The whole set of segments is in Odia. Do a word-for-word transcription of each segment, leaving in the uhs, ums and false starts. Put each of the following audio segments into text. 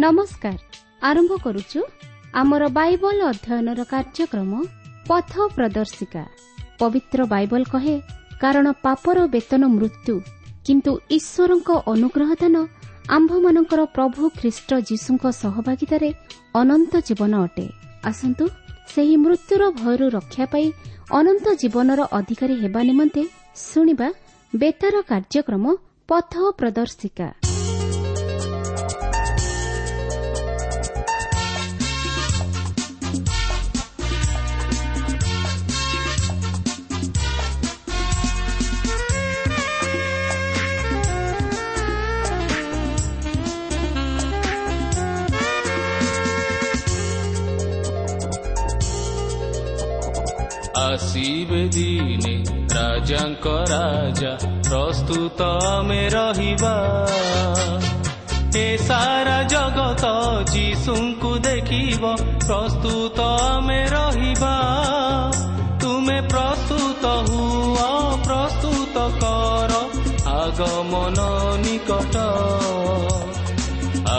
ନମସ୍କାର। ଆରମ୍ଭ କରୁଛୁ ଆମର ବାଇବଲ ଅଧ୍ୟୟନର କାର୍ଯ୍ୟକ୍ରମ ପଥ ପ୍ରଦର୍ଶିକା। ପବିତ୍ର ବାଇବଲ କହେ, କାରଣ ପାପର ବେତନ ମୃତ୍ୟୁ, କିନ୍ତୁ ଈଶ୍ୱରଙ୍କ ଅନୁଗ୍ରହ ଦାନ ଆମ୍ଭମାନଙ୍କର ପ୍ରଭୁ ଖ୍ରୀଷ୍ଟ ଯୀଶୁଙ୍କ ସହଭାଗିତାରେ ଅନନ୍ତ ଜୀବନ ଅଟେ। ଆସନ୍ତୁ ସେହି ମୃତ୍ୟୁର ଭୟରୁ ରକ୍ଷା ପାଇ ଅନନ୍ତ ଜୀବନର ଅଧିକାରୀ ହେବା ନିମନ୍ତେ ଶୁଣିବା ବେତାର କାର୍ଯ୍ୟକ୍ରମ ପଥ ପ୍ରଦର୍ଶିକା। ଆସିବେ ଦିନେ ରାଜାଙ୍କ ରାଜା, ପ୍ରସ୍ତୁତ ଆମେ ରହିବା। ଏ ସାରା ଜଗତ ଯୀଶୁଙ୍କୁ ଦେଖିବ, ପ୍ରସ୍ତୁତ ଆମେ ରହିବା। ତୁମେ ପ୍ରସ୍ତୁତ ହୁଅ, ପ୍ରସ୍ତୁତ କର, ଆଗମନ ନିକଟ।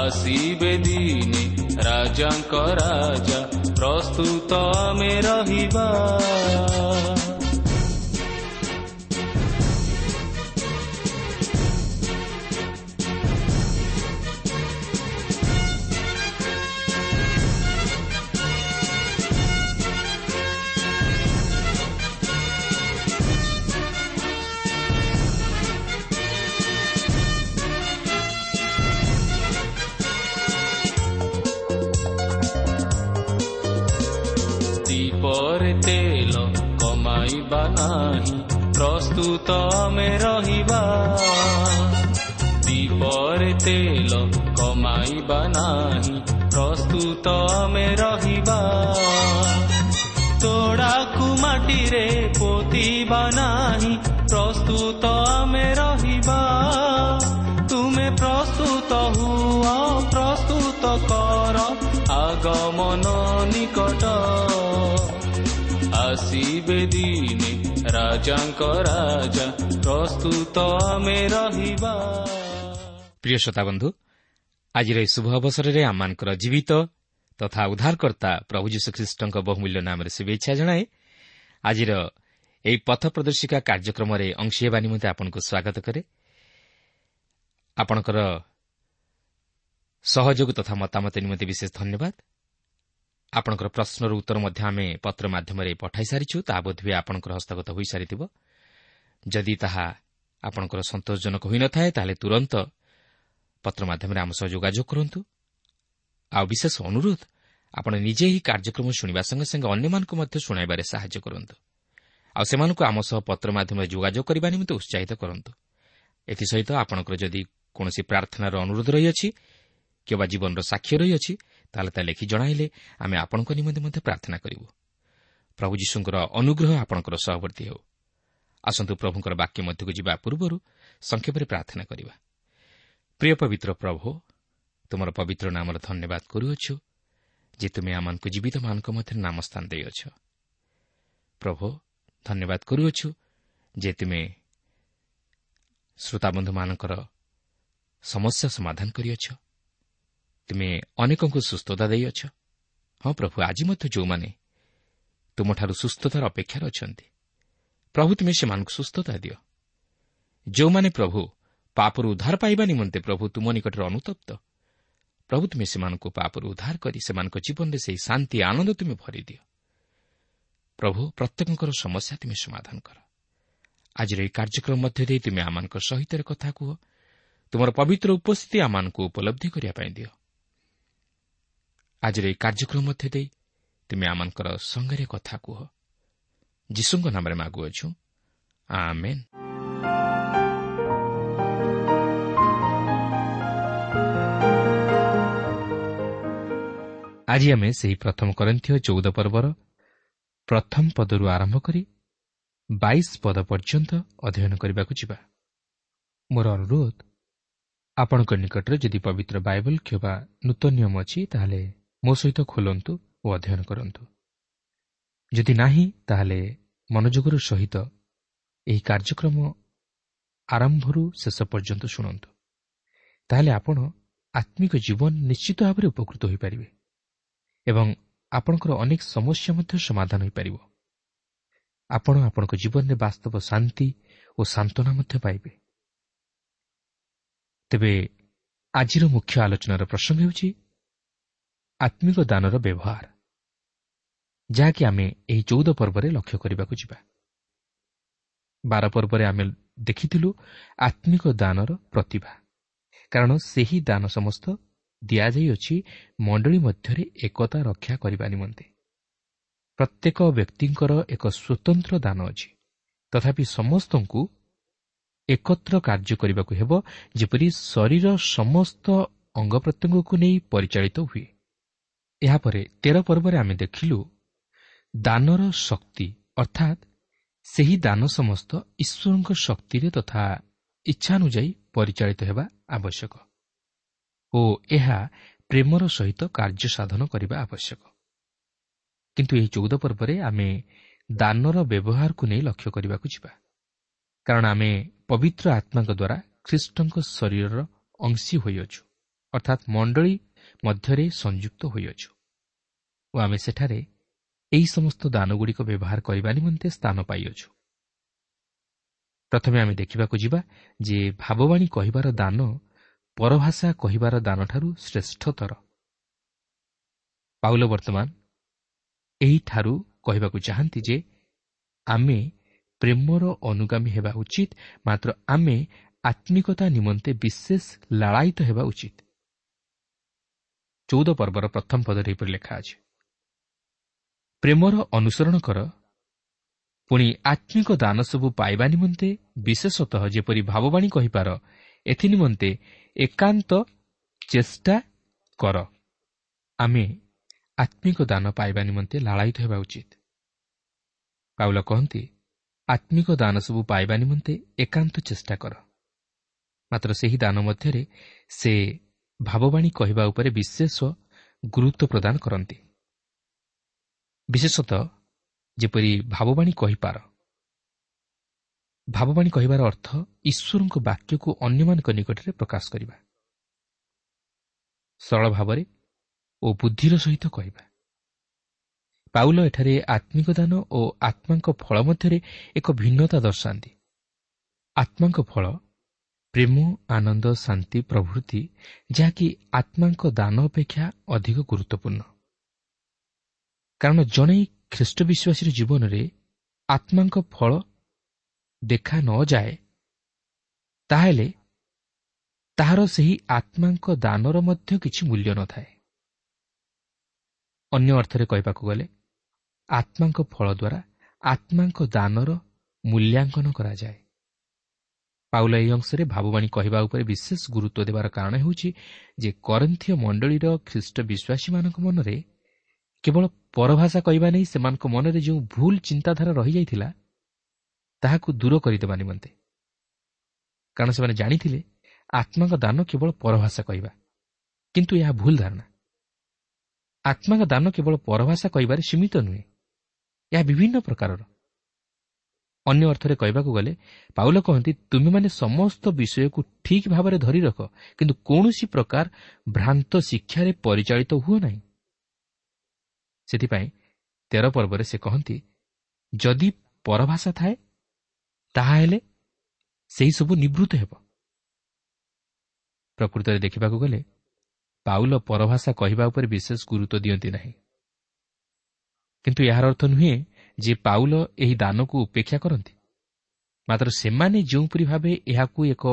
ଆସିବେ ଦିନେ ରାଜାଙ୍କ ରାଜା, ପ୍ରସ୍ତୁତ ଆମେ ରହିବା। ଦୀପରେ ତେଲ କମାଇବା ନାହିଁ, ପ୍ରସ୍ତୁତ ଆମେ ରହିବା। ଦୀପରେ ତେଲ କମାଇବା ନାହିଁ, ପ୍ରସ୍ତୁତ ଆମେ ରହିବା। ତୋଡ଼ାକୁ ମାଟିରେ ପୋତିବା ନାହିଁ, ପ୍ରସ୍ତୁତ ଆମେ ରହିବା। ତୁମେ ପ୍ରସ୍ତୁତ ହୁଅ, ପ୍ରସ୍ତୁତ କର, ଆଗମନ ନିକଟ। ଆସିବେ ଦିନେ ରାଜାଙ୍କ ରାଜା, ପ୍ରସ୍ତୁତ ଆମେ ରହିବା। ପ୍ରିୟ ଶ୍ରୋତାବନ୍ଧୁ, ଆଜିର ଏହି ଶୁଭ ଅବସରରେ ଆମମାନଙ୍କର ଜୀବିତ ତଥା ଉଦ୍ଧାରକର୍ତ୍ତା ପ୍ରଭୁ ଯୀଶୁଖ୍ରୀଷ୍ଟଙ୍କ ବହୁମୂଲ୍ୟ ନାମରେ ଶୁଭେଚ୍ଛା ଜଣାଏ। ଆଜିର ଏହି ପଥ ପ୍ରଦର୍ଶିକା କାର୍ଯ୍ୟକ୍ରମରେ ଅଂଶୀ ହେବା ନିମନ୍ତେ ଆପଣଙ୍କୁ ସ୍ୱାଗତ କରେ। ଆପଣଙ୍କର ସହଯୋଗ ତଥା ମତାମତ ନିମନ୍ତେ ବିଶେଷ ଧନ୍ୟବାଦ। ଆପଣଙ୍କର ପ୍ରଶ୍ନର ଉତ୍ତର ମଧ୍ୟ ଆମେ ପତ୍ର ମାଧ୍ୟମରେ ପଠାଇ ସାରିଛୁ, ତାହା ବୋଧହୁଏ ଆପଣଙ୍କର ହସ୍ତଗତ ହୋଇସାରିଥିବ। ଯଦି ତାହା ଆପଣଙ୍କର ସନ୍ତୋଷଜନକ ହୋଇନଥାଏ, ତାହେଲେ ତୁରନ୍ତ ପତ୍ର ମାଧ୍ୟମରେ ଆମ ସହ ଯୋଗାଯୋଗ କରନ୍ତୁ। ଆଉ ବିଶେଷ ଅନୁରୋଧ, ଆପଣ ନିଜେ ଏହି କାର୍ଯ୍ୟକ୍ରମ ଶୁଣିବା ସଙ୍ଗେ ସଙ୍ଗେ ଅନ୍ୟମାନଙ୍କୁ ମଧ୍ୟ ଶୁଣାଇବାରେ ସାହାଯ୍ୟ କରନ୍ତୁ। ଆଉ ସେମାନଙ୍କୁ ଆମ ସହ ପତ୍ର ମାଧ୍ୟମରେ ଯୋଗାଯୋଗ କରିବା ନିମନ୍ତେ ଉତ୍ସାହିତ କରନ୍ତୁ। ଏଥିସହିତ ଆପଣଙ୍କର ଯଦି କୌଣସି ପ୍ରାର୍ଥନାର ଅନୁରୋଧ ରହିଅଛି କିମ୍ବା ଜୀବନର ସାକ୍ଷ୍ୟ ରହିଅଛି, ତାହେଲେ ତା ଲେଖି ଜଣାଇଲେ ଆମେ ଆପଣଙ୍କ ନିମନ୍ତେ ମଧ୍ୟ ପ୍ରାର୍ଥନା କରିବୁ। ପ୍ରଭୁ ଯୀଶୁଙ୍କର ଅନୁଗ୍ରହ ଆପଣଙ୍କର ସହବର୍ତ୍ତୀ ହେଉ। ଆସନ୍ତୁ ପ୍ରଭୁଙ୍କର ବାକ୍ୟ ମଧ୍ୟକୁ ଯିବା ପୂର୍ବରୁ ସଂକ୍ଷେପରେ ପ୍ରାର୍ଥନା କରିବା। ପ୍ରିୟ ପବିତ୍ର ପ୍ରଭୁ, ତୁମର ପବିତ୍ର ନାମର ଧନ୍ୟବାଦ କରୁଅଛୁ ଯେ ତୁମେ ଆମମାନଙ୍କୁ ଜୀବିତମାନଙ୍କ ମଧ୍ୟରେ ନାମ ସ୍ଥାନ ଦେଇଅଛ। ପ୍ରଭୁ, ଧନ୍ୟବାଦ କରୁଅଛୁ ଯେ ତୁମେ ଶ୍ରୋତାବନ୍ଧୁମାନଙ୍କର ସମସ୍ୟା ସମାଧାନ କରିଅଛ। ତୁମେ ଅନେକଙ୍କୁ ସୁସ୍ଥତା ଦେଇଅଛ। ହଁ ପ୍ରଭୁ, ଆଜି ମଧ୍ୟ ଯେଉଁମାନେ ତୁମଠାରୁ ସୁସ୍ଥତାର ଅପେକ୍ଷାରେ ଅଛନ୍ତି, ପ୍ରଭୁ ତୁମେ ସେମାନଙ୍କୁ ସୁସ୍ଥତା ଦିଅ। ଯେଉଁମାନେ ପ୍ରଭୁ ପାପରୁ ଉଦ୍ଧାର ପାଇବା ନିମନ୍ତେ ପ୍ରଭୁ ତୁମ ନିକଟରେ ଅନୁତପ୍ତ, ପ୍ରଭୁ ତୁମେ ସେମାନଙ୍କୁ ପାପରୁ ଉଦ୍ଧାର କରି ସେମାନଙ୍କ ଜୀବନରେ ସେହି ଶାନ୍ତି ଆନନ୍ଦ ତୁମେ ଭରିଦିଅ। ପ୍ରଭୁ, ପ୍ରତ୍ୟେକଙ୍କର ସମସ୍ୟା ତୁମେ ସମାଧାନ କର। ଆଜିର ଏହି କାର୍ଯ୍ୟକ୍ରମ ମଧ୍ୟ ଦେଇ ତୁମେ ଆମମାନଙ୍କ ସହିତ କଥା କୁହ। ତୁମର ପବିତ୍ର ଉପସ୍ଥିତି ଆମମାନଙ୍କୁ ଉପଲବ୍ଧି କରିବା ପାଇଁ ଦିଅ। ଆଜିର ଏହି କାର୍ଯ୍ୟକ୍ରମ ମଧ୍ୟ ଦେଇ ତୁମେ ଆମମାନଙ୍କର ସଙ୍ଗରେ କଥା କୁହ। ଯୀଶୁଙ୍କ ନାମରେ ମାଗୁଅଛୁ, ଆମେନ୍। ଆଜି ଆମେ ସେହି ପ୍ରଥମ କରିନ୍ଥୀୟ ଚଉଦ ପର୍ବର ପ୍ରଥମ ପଦରୁ ଆରମ୍ଭ କରି ବାଇଶ ପଦ ପର୍ଯ୍ୟନ୍ତ ଅଧ୍ୟୟନ କରିବାକୁ ଯିବା। ମୋର ଅନୁରୋଧ, ଆପଣଙ୍କ ନିକଟରେ ଯଦି ପବିତ୍ର ବାଇବଲ କିମ୍ବା ନୂତନ ନିୟମ ଅଛି, ତାହେଲେ ମୋ ସହିତ ଖୋଲନ୍ତୁ ଓ ଅଧ୍ୟୟନ କରନ୍ତୁ। ଯଦି ନାହିଁ, ତାହେଲେ ମନୋଯୋଗର ସହିତ ଏହି କାର୍ଯ୍ୟକ୍ରମ ଆରମ୍ଭରୁ ଶେଷ ପର୍ଯ୍ୟନ୍ତ ଶୁଣନ୍ତୁ। ତାହେଲେ ଆପଣ ଆତ୍ମିକ ଜୀବନ ନିଶ୍ଚିତ ଭାବରେ ଉପକୃତ ହୋଇପାରିବେ ଏବଂ ଆପଣଙ୍କର ଅନେକ ସମସ୍ୟା ମଧ୍ୟ ସମାଧାନ ହୋଇପାରିବ। ଆପଣ ଆପଣଙ୍କ ଜୀବନରେ ବାସ୍ତବ ଶାନ୍ତି ଓ ସାନ୍ତ୍ୱନା ମଧ୍ୟ ପାଇବେ। ତେବେ ଆଜିର ମୁଖ୍ୟ ଆଲୋଚନାର ପ୍ରସଙ୍ଗ ହେଉଛି ଆତ୍ମିକ ଦାନର ବ୍ୟବହାର, ଯାହାକି ଆମେ ଏହି ଚଉଦ ପର୍ବରେ ଲକ୍ଷ୍ୟ କରିବାକୁ ଯିବା। ବାର ପର୍ବରେ ଆମେ ଦେଖିଥିଲୁ ଆତ୍ମିକ ଦାନର ପ୍ରତିଭା, କାରଣ ସେହି ଦାନ ସମସ୍ତ ଦିଆଯାଇଅଛି ମଣ୍ଡଳୀ ମଧ୍ୟରେ ଏକତା ରକ୍ଷା କରିବା ନିମନ୍ତେ। ପ୍ରତ୍ୟେକ ବ୍ୟକ୍ତିଙ୍କର ଏକ ସ୍ୱତନ୍ତ୍ର ଦାନ ଅଛି, ତଥାପି ସମସ୍ତଙ୍କୁ ଏକତ୍ର କାର୍ଯ୍ୟ କରିବାକୁ ହେବ, ଯେପରି ଶରୀର ସମସ୍ତ ଅଙ୍ଗ ପ୍ରତ୍ୟଙ୍ଗକୁ ନେଇ ପରିଚାଳିତ ହୁଏ। ଏହାପରେ ତେର ପର୍ବରେ ଆମେ ଦେଖିଲୁ ଦାନର ଶକ୍ତି, ଅର୍ଥାତ୍ ସେହି ଦାନ ସମସ୍ତ ଈଶ୍ୱରଙ୍କ ଶକ୍ତିରେ ତଥା ଇଚ୍ଛାନୁଯାୟୀ ପରିଚାଳିତ ହେବା ଆବଶ୍ୟକ ଓ ଏହା ପ୍ରେମର ସହିତ କାର୍ଯ୍ୟ ସାଧନ କରିବା ଆବଶ୍ୟକ। କିନ୍ତୁ ଏହି ଚଉଦ ପର୍ବରେ ଆମେ ଦାନର ବ୍ୟବହାରକୁ ନେଇ ଲକ୍ଷ୍ୟ କରିବାକୁ ଯିବା, କାରଣ ଆମେ ପବିତ୍ର ଆତ୍ମାଙ୍କ ଦ୍ୱାରା ଖ୍ରୀଷ୍ଟଙ୍କ ଶରୀରର ଅଂଶୀ ହୋଇଅଛୁ, ଅର୍ଥାତ୍ ମଣ୍ଡଳୀ ମଧ୍ୟରେ ସଂଯୁକ୍ତ ହୋଇଅଛୁ ଓ ଆମେ ସେଠାରେ ଏହି ସମସ୍ତ ଦାନଗୁଡ଼ିକ ବ୍ୟବହାର କରିବା ନିମନ୍ତେ ସ୍ଥାନ ପାଇଅଛୁ। ପ୍ରଥମେ ଆମେ ଦେଖିବାକୁ ଯିବା ଯେ ଭାବବାଣୀ କହିବାର ଦାନ ପରଭାଷା କହିବାର ଦାନଠାରୁ ଶ୍ରେଷ୍ଠତର। ପାଉଲ ବର୍ତ୍ତମାନ ଏହିଠାରୁ କହିବାକୁ ଚାହାନ୍ତି ଯେ ଆମେ ପ୍ରେମର ଅନୁଗାମୀ ହେବା ଉଚିତ, ମାତ୍ର ଆମେ ଆତ୍ମିକତା ନିମନ୍ତେ ବିଶେଷ ଲାଳାୟିତ ହେବା ଉଚିତ। ଚଉଦ ପର୍ବର ପ୍ରଥମ ପଦରେ ଏହିପରି ଲେଖା ଅଛି, ପ୍ରେମର ଅନୁସରଣ କର, ପୁଣି ଆତ୍ମିକ ଦାନ ସବୁ ପାଇବା ନିମନ୍ତେ ବିଶେଷତଃ ଯେପରି ଭାବବାଣୀ କହିପାର ଏଥି ନିମନ୍ତେ ଏକାନ୍ତ ଚେଷ୍ଟା କର। ଆମେ ଆତ୍ମିକ ଦାନ ପାଇବା ନିମନ୍ତେ ଲାଳାୟିତ ହେବା ଉଚିତ। ପାଉଲ କହନ୍ତି, ଆତ୍ମିକ ଦାନ ସବୁ ପାଇବା ନିମନ୍ତେ ଏକାନ୍ତ ଚେଷ୍ଟା କର। ମାତ୍ର ସେହି ଦାନ ମଧ୍ୟରେ ସେ ଭାବବାଣୀ କହିବା ଉପରେ ବିଶେଷ ଗୁରୁତ୍ୱ ପ୍ରଦାନ କରନ୍ତି, ବିଶେଷତଃ ଯେପରି ଭାବବାଣୀ କହିପାର। ଭାବବାଣୀ କହିବାର ଅର୍ଥ ଈଶ୍ୱରଙ୍କ ବାକ୍ୟକୁ ଅନ୍ୟମାନଙ୍କ ନିକଟରେ ପ୍ରକାଶ କରିବା, ସରଳ ଭାବରେ ଓ ବୁଦ୍ଧିର ସହିତ କହିବା। ପାଉଲ ଏଠାରେ ଆତ୍ମିକ ଦାନ ଓ ଆତ୍ମାଙ୍କ ଫଳ ମଧ୍ୟରେ ଏକ ଭିନ୍ନତା ଦର୍ଶାନ୍ତି। ଆତ୍ମାଙ୍କ ଫଳ ପ୍ରେମ, ଆନନ୍ଦ, ଶାନ୍ତି ପ୍ରଭୃତି, ଯାହାକି ଆତ୍ମାଙ୍କ ଦାନ ଅପେକ୍ଷା ଅଧିକ ଗୁରୁତ୍ୱପୂର୍ଣ୍ଣ। କାରଣ ଜଣେ ଖ୍ରୀଷ୍ଟ ବିଶ୍ୱାସୀର ଜୀବନରେ ଆତ୍ମାଙ୍କ ଫଳ ଦେଖା ନଯାଏ, ତାହେଲେ ତାହାର ସେହି ଆତ୍ମାଙ୍କ ଦାନର ମଧ୍ୟ କିଛି ମୂଲ୍ୟ ନଥାଏ। ଅନ୍ୟ ଅର୍ଥରେ କହିବାକୁ ଗଲେ ଆତ୍ମାଙ୍କ ଫଳ ଦ୍ୱାରା ଆତ୍ମାଙ୍କ ଦାନର ମୂଲ୍ୟାଙ୍କନ କରାଯାଏ। ପାଉଲ ଏହି ଅଂଶରେ ଭାବବାଣୀ କହିବା ଉପରେ ବିଶେଷ ଗୁରୁତ୍ୱ ଦେବାର କାରଣ ହେଉଛି ଯେ କରିନ୍ଥୀୟ ମଣ୍ଡଳୀର ଖ୍ରୀଷ୍ଟ ବିଶ୍ୱାସୀମାନଙ୍କ ମନରେ କେବଳ ପରଭାଷା କହିବା ନେଇ ସେମାନଙ୍କ ମନରେ ଯେଉଁ ଭୁଲ ଚିନ୍ତାଧାରା ରହିଯାଇଥିଲା ତାହାକୁ ଦୂର କରିଦେବା ନିମନ୍ତେ। କାରଣ ସେମାନେ ଜାଣିଥିଲେ ଆତ୍ମାଙ୍କ ଦାନ କେବଳ ପରଭାଷା କହିବା, କିନ୍ତୁ ଏହା ଭୁଲ ଧାରଣା। ଆତ୍ମାଙ୍କ ଦାନ କେବଳ ପରଭାଷା କହିବାରେ ସୀମିତ ନୁହେଁ, ଏହା ବିଭିନ୍ନ ପ୍ରକାରର। ଅନ୍ୟ ଅର୍ଥରେ କହିବାକୁ ଗଲେ ପାଉଲ କହନ୍ତି, ତୁମେମାନେ ସମସ୍ତ ବିଷୟକୁ ଠିକ୍ ଭାବରେ ଧରି ରଖ, କିନ୍ତୁ କୌଣସି ପ୍ରକାର ଭ୍ରାନ୍ତ ଶିକ୍ଷାରେ ପରିଚାଳିତ ହୁଅ ନାହିଁ। ସେଥିପାଇଁ ତେର ପର୍ବରେ ସେ କହନ୍ତି, ଯଦି ପରଭାଷା ଥାଏ ତାହାହେଲେ ସେହିସବୁ ନିବୃତ୍ତ ହେବ। ପ୍ରକୃତରେ ଦେଖିବାକୁ ଗଲେ ପାଉଲ ପରଭାଷା କହିବା ଉପରେ ବିଶେଷ ଗୁରୁତ୍ୱ ଦିଅନ୍ତି ନାହିଁ, କିନ୍ତୁ ଏହାର ଅର୍ଥ ନୁହେଁ ଯେ ପାଉଲ ଏହି ଦାନକୁ ଉପେକ୍ଷା କରନ୍ତି। ମାତ୍ର ସେମାନେ ଯେଉଁପରି ଭାବେ ଏହାକୁ ଏକ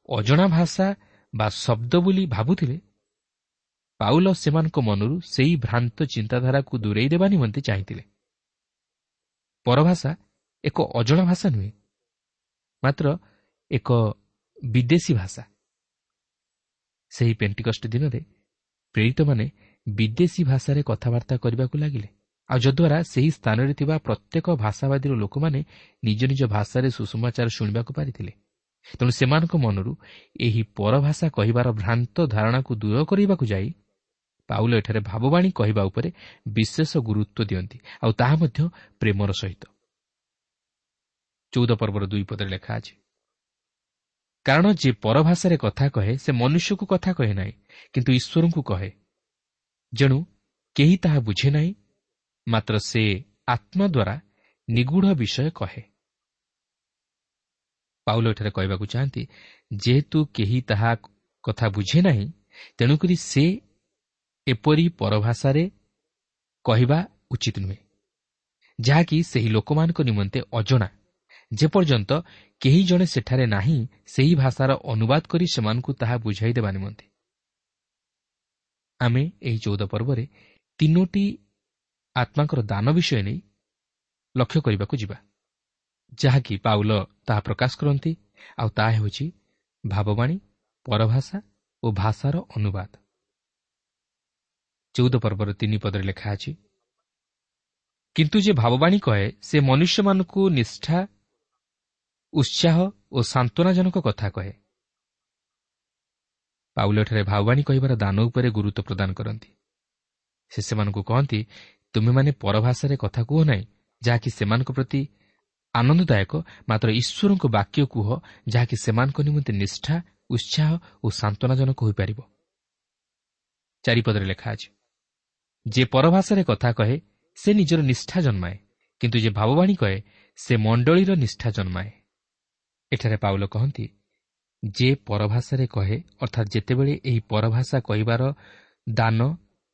ଅଜଣା ଭାଷା ବା ଶବ୍ଦ ବୋଲି ଭାବୁଥିଲେ, ପାଉଲ ସେମାନଙ୍କ ମନରୁ ସେହି ଭ୍ରାନ୍ତ ଚିନ୍ତାଧାରାକୁ ଦୂରେଇ ଦେବା ନିମନ୍ତେ ଚାହିଁଥିଲେ। ପରଭାଷା ଏକ ଅଜଣା ଭାଷା ନୁହେଁ, ମାତ୍ର ଏକ ବିଦେଶୀ ଭାଷା। ସେହି ପେଣ୍ଟିକଷ୍ଟ ଦିନରେ ପ୍ରେରିତମାନେ ବିଦେଶୀ ଭାଷାରେ କଥାବାର୍ତ୍ତା କରିବାକୁ ଲାଗିଲେ, ଆଉ ଯଦ୍ୱାରା ସେହି ସ୍ଥାନରେ ଥିବା ପ୍ରତ୍ୟେକ ଭାଷାବାଦୀର ଲୋକମାନେ ନିଜ ନିଜ ଭାଷାରେ ସୁସମାଚାର ଶୁଣିବାକୁ ପାରିଥିଲେ। ତେଣୁ ସେମାନଙ୍କ ମନରୁ ଏହି ପରଭାଷା କହିବାର ଭ୍ରାନ୍ତ ଧାରଣାକୁ ଦୂର କରିବାକୁ ଯାଇ ପାଉଲ ଏଠାରେ ଭାବବାଣୀ କହିବା ଉପରେ ବିଶେଷ ଗୁରୁତ୍ୱ ଦିଅନ୍ତି, ଆଉ ତାହା ମଧ୍ୟ ପ୍ରେମର ସହିତ। ଚଉଦ ପର୍ବର ଦୁଇ ପଦରେ ଲେଖା ଅଛି, କାରଣ ଯେ ପରଭାଷାରେ କଥା କହେ ସେ ମନୁଷ୍ୟକୁ କଥା କହେ ନାହିଁ, କିନ୍ତୁ ଈଶ୍ୱରଙ୍କୁ କହେ। ଯେଣୁ କେହି ତାହା ବୁଝେ ନାହିଁ, ମାତ୍ର ସେ ଆତ୍ମା ଦ୍ୱାରା ନିଗୂଢ଼ ବିଷୟ କହେ। ପାଉଲ ଏଠାରେ କହିବାକୁ ଚାହାନ୍ତି, ଯେହେତୁ କେହି ତାହା କଥା ବୁଝେ ନାହିଁ, ତେଣୁକରି ସେ ଏପରି ପରଭାଷାରେ କହିବା ଉଚିତ ନୁହେଁ, ଯାହାକି ସେହି ଲୋକମାନଙ୍କ ନିମନ୍ତେ ଅଜଣା, ଯେପର୍ଯ୍ୟନ୍ତ କେହି ଜଣେ ସେଠାରେ ନାହିଁ ସେହି ଭାଷାର ଅନୁବାଦ କରି ସେମାନଙ୍କୁ ତାହା ବୁଝାଇ ଦେବା ନିମନ୍ତେ। ଆମେ ଏହି ଚଉଦ ପର୍ବରେ ତିନୋଟି ଆତ୍ମାଙ୍କର ଦାନ ବିଷୟ ନେଇ ଲକ୍ଷ୍ୟ କରିବାକୁ ଯିବା, ଯାହାକି ପାଉଲ ତାହା ପ୍ରକାଶ କରନ୍ତି, ଆଉ ତାହା ହେଉଛି ଭାବବାଣୀ, ପରଭାଷା ଓ ଭାଷାର ଅନୁବାଦ। ଚଉଦ ପର୍ବର ତିନି ପଦରେ ଲେଖା ଅଛି, କିନ୍ତୁ ଯେ ଭାବବାଣୀ କହେ ସେ ମନୁଷ୍ୟମାନଙ୍କୁ ନିଷ୍ଠା, ଉତ୍ସାହ ଓ ସାନ୍ତ୍ୱନାଜନକ କଥା କହେ। ପାଉଲ ଏଠାରେ ଭାବବାଣୀ କହିବାର ଦାନ ଉପରେ ଗୁରୁତ୍ୱ ପ୍ରଦାନ କରନ୍ତି। ସେ ସେମାନଙ୍କୁ କହନ୍ତି, ତୁମେମାନେ ପରଭାଷାରେ କଥା କୁହ ନାହିଁ, ଯାହାକି ସେମାନଙ୍କ ପ୍ରତି ଆନନ୍ଦଦାୟକ, ମାତ୍ର ଈଶ୍ୱରଙ୍କ ବାକ୍ୟ କୁହ, ଯାହାକି ସେମାନଙ୍କ ନିମନ୍ତେ ନିଷ୍ଠା, ଉତ୍ସାହ ଓ ସାନ୍ତ୍ୱନାଜନକ ହୋଇପାରିବ। ଚାରିପଦରେ ଲେଖା ଅଛି, ଯେ ପରଭାଷାରେ କଥା କହେ ସେ ନିଜର ନିଷ୍ଠା ଜନ୍ମାଏ, କିନ୍ତୁ ଯେ ଭାବବାଣୀ କହେ ସେ ମଣ୍ଡଳୀର ନିଷ୍ଠା ଜନ୍ମାଏ। ଏଠାରେ ପାଉଲ କହନ୍ତି, ଯେ ପରଭାଷାରେ କହେ, ଅର୍ଥାତ୍ ଯେତେବେଳେ ଏହି ପରଭାଷା କହିବାର ଦାନ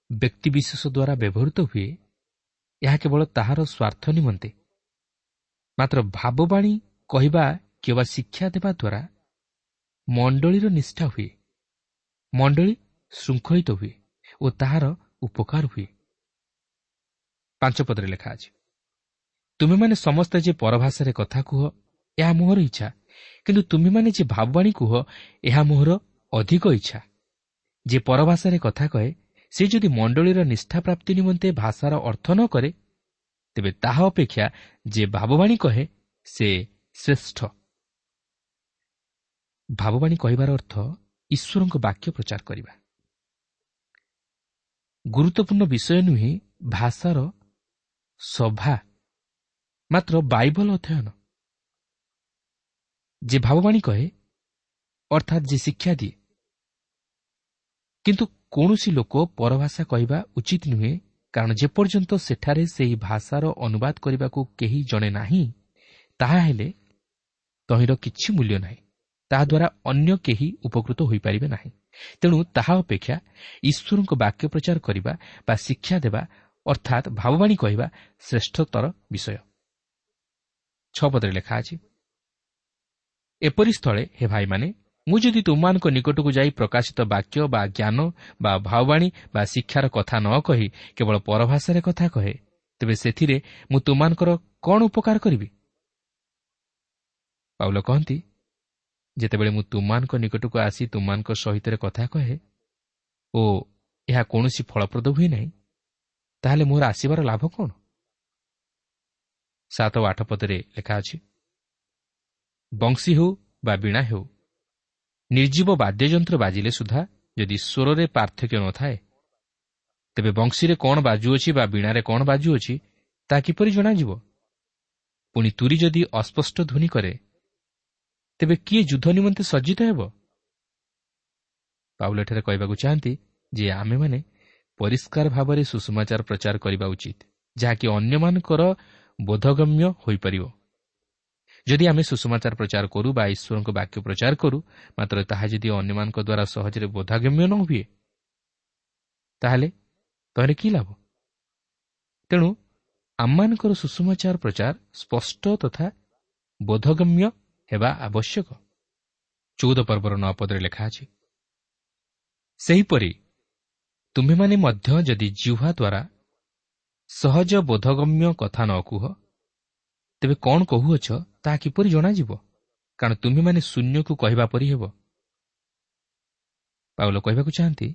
ବ୍ୟକ୍ତିବିଶେଷ ଦ୍ୱାରା ବ୍ୟବହୃତ ହୁଏ, ଏହା କେବଳ ତାହାର ସ୍ୱାର୍ଥ ନିମନ୍ତେ, ମାତ୍ର ଭାବବାଣୀ କହିବା କିମ୍ବା ଶିକ୍ଷା ଦେବା ଦ୍ୱାରା ମଣ୍ଡଳୀର ନିଷ୍ଠା ହୁଏ, ମଣ୍ଡଳୀ ଶୃଙ୍ଖଳିତ ହୁଏ ଓ ତାହାର ଉପକାର ହୁଏ। ପାଞ୍ଚ ପଦରେ ଲେଖା ଅଛି, ତୁମେମାନେ ସମସ୍ତେ ଯେ ପରଭାଷାରେ କଥା କୁହ ଏହା ମୋହର ଇଚ୍ଛା, କିନ୍ତୁ ତୁମେମାନେ ଯେ ଭାବବାଣୀ କୁହ ଏହା ମୋହର ଅଧିକ ଇଚ୍ଛା। ଯେ ପରଭାଷାରେ କଥା କହେ ସେ ଯଦି ମଣ୍ଡଳୀର ନିଷ୍ଠା ପ୍ରାପ୍ତି ନିମନ୍ତେ ଭାଷାର ଅର୍ଥ ନ କରେ, ତେବେ ତାହା ଅପେକ୍ଷା ଯେ ଭାବବାଣୀ କହେ ସେ ଶ୍ରେଷ୍ଠ। ଭାବବାଣୀ କହିବାର ଅର୍ଥ ଈଶ୍ୱରଙ୍କ ବାକ୍ୟ ପ୍ରଚାର କରିବା। ଗୁରୁତ୍ୱପୂର୍ଣ୍ଣ ବିଷୟ ନୁହେଁ ଭାଷାର ସଭା, ମାତ୍ର ବାଇବଲ ଅଧ୍ୟୟନ। ଯେ ଭାବବାଣୀ କହେ ଅର୍ଥାତ୍ ଯେ ଶିକ୍ଷା ଦିଏ, କିନ୍ତୁ କୌଣସି ଲୋକ ପରଭାଷା କହିବା ଉଚିତ ନୁହେଁ, କାରଣ ଯେପର୍ଯ୍ୟନ୍ତ ସେଠାରେ ସେହି ଭାଷାର ଅନୁବାଦ କରିବାକୁ କେହି ଜଣେ ନାହିଁ, ତାହା ହେଲେ ତହିଁର କିଛି ମୂଲ୍ୟ ନାହିଁ, ତାହାଦ୍ୱାରା ଅନ୍ୟ କେହି ଉପକୃତ ହୋଇପାରିବେ ନାହିଁ। ତେଣୁ ତାହା ଅପେକ୍ଷା ଈଶ୍ୱରଙ୍କ ବାକ୍ୟ ପ୍ରଚାର କରିବା ବା ଶିକ୍ଷା ଦେବା ଅର୍ଥାତ୍ ଭାବବାଣୀ କହିବା ଶ୍ରେଷ୍ଠତର ବିଷୟ। ଛଅ ପଦରେ ଲେଖା ଅଛି, ଏପରି ସ୍ଥଳେ ହେ ଭାଇମାନେ, ମୁଁ ଯଦି ତୁମମାନଙ୍କ ନିକଟକୁ ଯାଇ ପ୍ରକାଶିତ ବାକ୍ୟ ବା ଜ୍ଞାନ ବା ଭାବବାଣୀ ବା ଶିକ୍ଷାର କଥା ନ କହି କେବଳ ପରଭାଷାରେ କଥା କହେ, ତେବେ ସେଥିରେ ମୁଁ ତୁମମାନଙ୍କର କ'ଣ ଉପକାର କରିବି? ପାଉଲ କହନ୍ତି, ଯେତେବେଳେ ମୁଁ ତୁମମାନଙ୍କ ନିକଟକୁ ଆସି ତୁମମାନଙ୍କ ସହିତ କଥା କହେ ଓ ଏହା କୌଣସି ଫଳପ୍ରଦ ହୁଏ ନାହିଁ, ତାହେଲେ ମୋର ଆସିବାର ଲାଭ କ'ଣ? ସାତ ଓ ଆଠ ପଦରେ ଲେଖା ଅଛି, ବଂଶୀ ହେଉ ବା ବୀଣା ହେଉ, ନିର୍ଜୀବ ବାଦ୍ୟଯନ୍ତ୍ର ବାଜିଲେ ସୁଦ୍ଧା ଯଦି ସ୍ୱରରେ ପାର୍ଥକ୍ୟ ନଥାଏ, ତେବେ ବଂଶୀରେ କ'ଣ ବାଜୁଅଛି ବା ବୀଣାରେ କ'ଣ ବାଜୁଅଛି ତାହା କିପରି ଜଣାଯିବ? ପୁଣି ତୁରୀ ଯଦି ଅସ୍ପଷ୍ଟ ଧ୍ୱନି କରେ, ତେବେ କିଏ ଯୁଦ୍ଧ ନିମନ୍ତେ ସଜ୍ଜିତ ହେବ? ପାଉଲ ଏଠାରେ କହିବାକୁ ଚାହାନ୍ତି ଯେ ଆମେମାନେ ପରିଷ୍କାର ଭାବରେ ସୁସମାଚାର ପ୍ରଚାର କରିବା ଉଚିତ, ଯାହାକି ଅନ୍ୟମାନଙ୍କର ବୋଧଗମ୍ୟ ହୋଇପାରିବ। ଯଦି ଆମେ ସୁସମାଚାର ପ୍ରଚାର କରୁ ବା ଈଶ୍ୱରଙ୍କ ବାକ୍ୟ ପ୍ରଚାର କରୁ, ମାତ୍ର ତାହା ଯଦି ଅନ୍ୟମାନଙ୍କ ଦ୍ୱାରା ସହଜରେ ବୋଧଗମ୍ୟ ନ ହୁଏ, ତାହେଲେ ତହିଁରେ କି ଲାଭ? ତେଣୁ ଆମମାନଙ୍କର ସୁସମାଚାର ପ୍ରଚାର ସ୍ପଷ୍ଟ ତଥା ବୋଧଗମ୍ୟ ହେବା ଆବଶ୍ୟକ। ଚଉଦ ପର୍ବର ନଅ ପଦରେ ଲେଖା ଅଛି, ସେହିପରି ତୁମ୍ଭେମାନେ ମଧ୍ୟ ଯଦି ଜିହ୍ୱା ଦ୍ୱାରା ସହଜ ବୋଧଗମ୍ୟ କଥା ନ କୁହ, ତେବେ କ'ଣ କହୁଅଛ ତାହା କିପରି ଜଣାଯିବ? କାରଣ ତୁମ୍ଭେମାନେ ଶୂନ୍ୟକୁ କହିବା ପରି ହେବ। ପାଉଲ କହିବାକୁ ଚାହାନ୍ତି,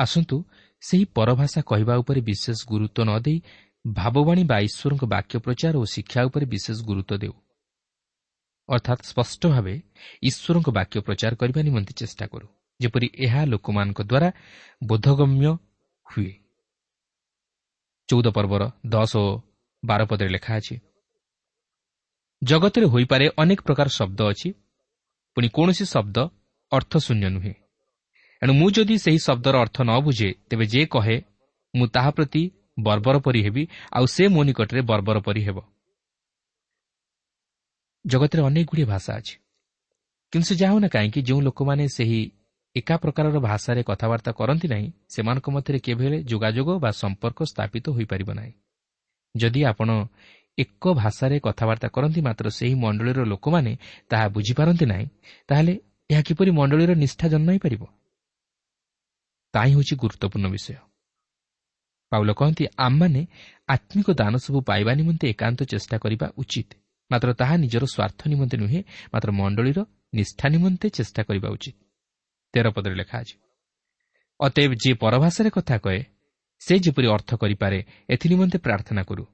ଆସନ୍ତୁ ସେହି ପରଭାଷା କହିବା ଉପରେ ବିଶେଷ ଗୁରୁତ୍ୱ ନ ଦେଇ ଭାବବାଣୀ ବା ଈଶ୍ୱରଙ୍କ ବାକ୍ୟ ପ୍ରଚାର ଓ ଶିକ୍ଷା ଉପରେ ବିଶେଷ ଗୁରୁତ୍ୱ ଦେଉ, ଅର୍ଥାତ୍ ସ୍ପଷ୍ଟ ଭାବେ ଈଶ୍ୱରଙ୍କ ବାକ୍ୟ ପ୍ରଚାର କରିବା ନିମନ୍ତେ ଚେଷ୍ଟା କରୁ, ଯେପରି ଏହା ଲୋକମାନଙ୍କ ଦ୍ୱାରା ବୋଧଗମ୍ୟ ହୁଏ। ଚଉଦ ପର୍ବର ଦଶ ଓ ବାର ପଦରେ ଲେଖା ଅଛି, ଜଗତରେ ହୋଇପାରେ ଅନେକ ପ୍ରକାର ଶବ୍ଦ ଅଛି, ପୁଣି କୌଣସି ଶବ୍ଦ ଅର୍ଥଶୂନ୍ୟ ନୁହେଁ। ଏଣୁ ମୁଁ ଯଦି ସେହି ଶବ୍ଦର ଅର୍ଥ ନ ବୁଝେ, ତେବେ ଯେ କହେ ମୁଁ ତାହା ପ୍ରତି ବର୍ବର ପରି ହେବି, ଆଉ ସେ ମୋ ନିକଟରେ ବର୍ବର ପରି ହେବ। ଜଗତରେ ଅନେକ ଗୁଡ଼ିଏ ଭାଷା ଅଛି, କିନ୍ତୁ ସେ ଯାହା ହେଉନା କାହିଁକି, ଯେଉଁ ଲୋକମାନେ ସେହି ଏକା ପ୍ରକାରର ଭାଷାରେ କଥାବାର୍ତ୍ତା କରନ୍ତି ନାହିଁ, ସେମାନଙ୍କ ମଧ୍ୟରେ କେବେ ହେଲେ ଯୋଗାଯୋଗ ବା ସମ୍ପର୍କ ସ୍ଥାପିତ ହୋଇପାରିବ ନାହିଁ। ଯଦି ଆପଣ ଏକ ଭାଷାରେ କଥାବାର୍ତ୍ତା କରନ୍ତି, ମାତ୍ର ସେହି ମଣ୍ଡଳୀର ଲୋକମାନେ ତାହା ବୁଝିପାରନ୍ତି ନାହିଁ, ତାହେଲେ ଏହା କିପରି ମଣ୍ଡଳୀର ନିଷ୍ଠା ଜନ୍ମାଇ ପାରିବ? ତାହା ହିଁ ହେଉଛି ଗୁରୁତ୍ୱପୂର୍ଣ୍ଣ ବିଷୟ। ପାଉଲ କହନ୍ତି, ଆମମାନେ ଆତ୍ମିକ ଦାନ ସବୁ ପାଇବା ନିମନ୍ତେ ଏକାନ୍ତ ଚେଷ୍ଟା କରିବା ଉଚିତ, ମାତ୍ର ତାହା ନିଜର ସ୍ୱାର୍ଥ ନିମନ୍ତେ ନୁହେଁ, ମାତ୍ର ମଣ୍ଡଳୀର ନିଷ୍ଠା ନିମନ୍ତେ ଚେଷ୍ଟା କରିବା ଉଚିତ। ତେର ପଦରେ ଲେଖା ଅଛି, ଅତଏବ ଯିଏ ପରଭାଷାରେ କଥା କହେ, ସେ ଯେପରି ଅର୍ଥ କରିପାରେ ଏଥିନିମନ୍ତେ ପ୍ରାର୍ଥନା କରୁ।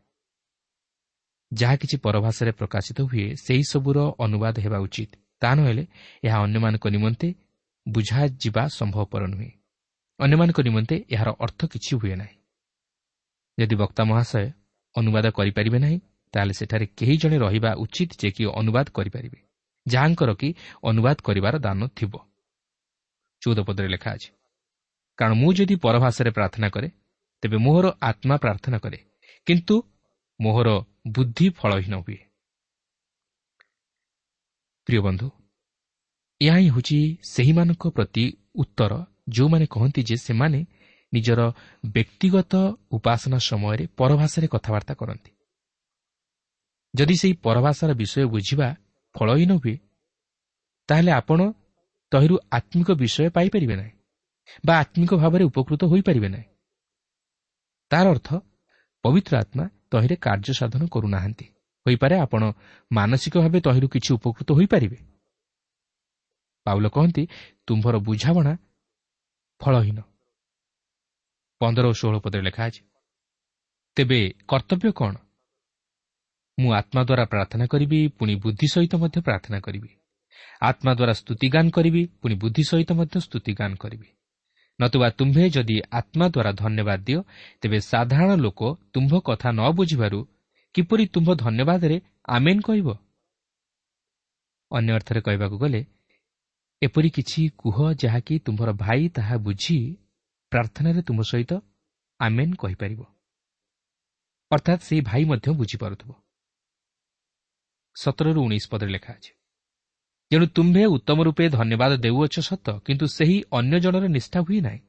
ଯାହା କିଛି ପରଭାଷାରେ ପ୍ରକାଶିତ ହୁଏ, ସେହି ସବୁର ଅନୁବାଦ ହେବା ଉଚିତ, ତାହା ନହେଲେ ଏହା ଅନ୍ୟମାନଙ୍କ ନିମନ୍ତେ ବୁଝାଯିବା ସମ୍ଭବପର ନୁହେଁ। ଅନ୍ୟମାନଙ୍କ ନିମନ୍ତେ ଏହାର ଅର୍ଥ କିଛି ହୁଏ ନାହିଁ। ଯଦି ବକ୍ତା ମହାଶୟ ଅନୁବାଦ କରିପାରିବେ ନାହିଁ, ତାହେଲେ ସେଠାରେ କେହି ଜଣେ ରହିବା ଉଚିତ ଯେ କି ଅନୁବାଦ କରିପାରିବେ, ଯାହାଙ୍କର କି ଅନୁବାଦ କରିବାର ଦାନ ଥିବ। ଚଉଦ ପଦରେ ଲେଖା ଅଛି, କାରଣ ମୁଁ ଯଦି ପରଭାଷାରେ ପ୍ରାର୍ଥନା କରେ, ତେବେ ମୋହର ଆତ୍ମା ପ୍ରାର୍ଥନା କରେ, କିନ୍ତୁ ମୋହର ବୁଦ୍ଧି ଫଳହୀନ ହୁଏ। ପ୍ରିୟ ବନ୍ଧୁ, ଏହା ହିଁ ହେଉଛି ସେହିମାନଙ୍କ ପ୍ରତି ଉତ୍ତର ଯେଉଁମାନେ କହନ୍ତି ଯେ ସେମାନେ ନିଜର ବ୍ୟକ୍ତିଗତ ଉପାସନା ସମୟରେ ପରଭାଷାରେ କଥାବାର୍ତ୍ତା କରନ୍ତି। ଯଦି ସେହି ପରଭାଷାର ବିଷୟ ବୁଝିବା ଫଳହୀନ ହୁଏ, ତାହେଲେ ଆପଣ ତହିଁରୁ ଆତ୍ମିକ ବିଷୟ ପାଇପାରିବେ ନାହିଁ ବା ଆତ୍ମିକ ଭାବରେ ଉପକୃତ ହୋଇପାରିବେ ନାହିଁ। ତାର ଅର୍ଥ ପବିତ୍ର ଆତ୍ମା ତହିଁରେ କାର୍ଯ୍ୟ ସାଧନ କରୁନାହାନ୍ତି। ହୋଇପାରେ ଆପଣ ମାନସିକ ଭାବେ ତହିଁରୁ କିଛି ଉପକୃତ ହୋଇପାରିବେ। ପାଉଲ କହନ୍ତି, ତୁମ୍ଭର ବୁଝାମଣା ଫଳହୀନ। ପନ୍ଦର ଓ ଷୋହଳ ପଦରେ ଲେଖା ଅଛି, ତେବେ କର୍ତ୍ତବ୍ୟ କ'ଣ? ମୁଁ ଆତ୍ମା ଦ୍ୱାରା ପ୍ରାର୍ଥନା କରିବି, ପୁଣି ବୁଦ୍ଧି ସହିତ ମଧ୍ୟ ପ୍ରାର୍ଥନା କରିବି। ଆତ୍ମା ଦ୍ୱାରା ସ୍ତୁତିଗାନ କରିବି, ପୁଣି ବୁଦ୍ଧି ସହିତ ମଧ୍ୟ ସ୍ତୁତିଗାନ କରିବି। ନତୁବା ତୁମ୍ଭେ ଯଦି ଆତ୍ମା ଦ୍ୱାରା ଧନ୍ୟବାଦ ଦିଅ, ତେବେ ସାଧାରଣ ଲୋକ ତୁମ୍ଭ କଥା ନ ବୁଝିବାରୁ କିପରି ତୁମ୍ଭ ଧନ୍ୟବାଦରେ ଆମେନ୍ କହିବ? ଅନ୍ୟ ଅର୍ଥରେ କହିବାକୁ ଗଲେ, ଏପରି କିଛି କୁହ ଯାହାକି ତୁମ୍ଭର ଭାଇ ତାହା ବୁଝି ପ୍ରାର୍ଥନାରେ ତୁମ ସହିତ ଆମେନ୍ କହିପାରିବ, ଅର୍ଥାତ୍ ସେହି ଭାଇ ମଧ୍ୟ ବୁଝିପାରୁଥିବ। ସତରରୁ ଉଣେଇଶ ପଦରେ ଲେଖା ଅଛି, ଯେଣୁ ତୁମ୍ଭେ ଉତ୍ତମ ରୂପେ ଧନ୍ୟବାଦ ଦେଉଅଛ ସତ, କିନ୍ତୁ ସେହି ଅନ୍ୟ ଜଣର ନିଷ୍ଠା ହୁଏ ନାହିଁ।